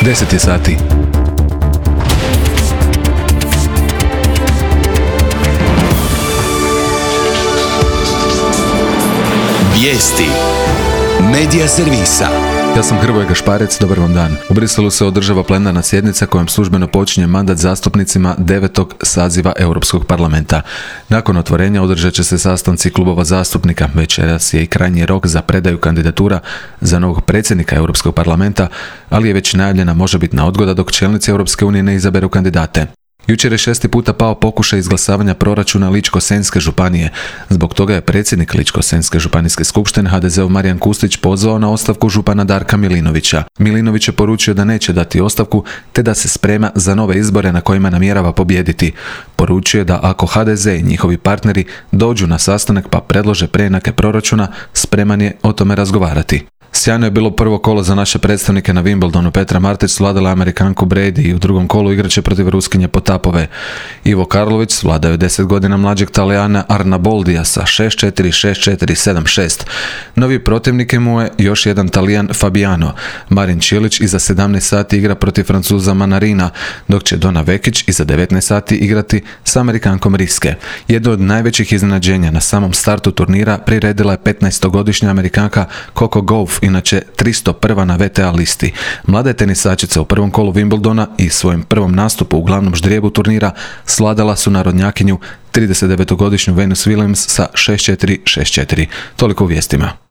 10 je sati. Vijesti Medija servisa. Ja sam Hrvoje Gašparec, dobar vam dan. U Briselu se održava plenarna sjednica kojom službeno počinje mandat zastupnicima 9. saziva Europskog parlamenta. Nakon otvorenja održat će se sastanci klubova zastupnika. Večeras je i krajnji rok za predaju kandidatura za novog predsjednika Europskog parlamenta, ali je već najavljena možebitna odgoda dok čelnici Europske unije ne izaberu kandidate. Jučer je 6. puta pao pokušaj izglasavanja proračuna Ličko-senjske županije. Zbog toga je predsjednik Ličko-senjske županijske skupštine HDZ-ov Marijan Kustić pozvao na ostavku župana Darka Milinovića. Milinović je poručio da neće dati ostavku te da se sprema za nove izbore na kojima namjerava pobijediti. Poručio je da ako HDZ i njihovi partneri dođu na sastanak pa predlože preinake proračuna, spreman je o tome razgovarati. Sjajno je bilo prvo kolo za naše predstavnike na Wimbledonu. Petra Martić svladala Amerikanku Brady i u drugom kolu igraće protiv Ruskinje Potapove. Ivo Karlović svladao je 10 godina mlađeg Talijana Arnaboldija sa 6-4, 6-4, 7-6. Novi protivnik mu je još jedan Talijan Fabiano. Marin Čilić iza 17 sati igra protiv Francuza Manarina, dok će Dona Vekić iza 19 sati igrati s Amerikankom Riske. Jedno od najvećih iznenađenja na samom startu turnira priredila je 15-godišnja Amerikanka Coco Gauff, inače 301. na WTA listi. Mlada je tenisačica u prvom kolu Wimbledona i svojim prvom nastupu u glavnom ždrijebu turnira svladala su narodnjakinju 39-godišnju Venus Williams sa 6-4, 6-4. Toliko u vijestima.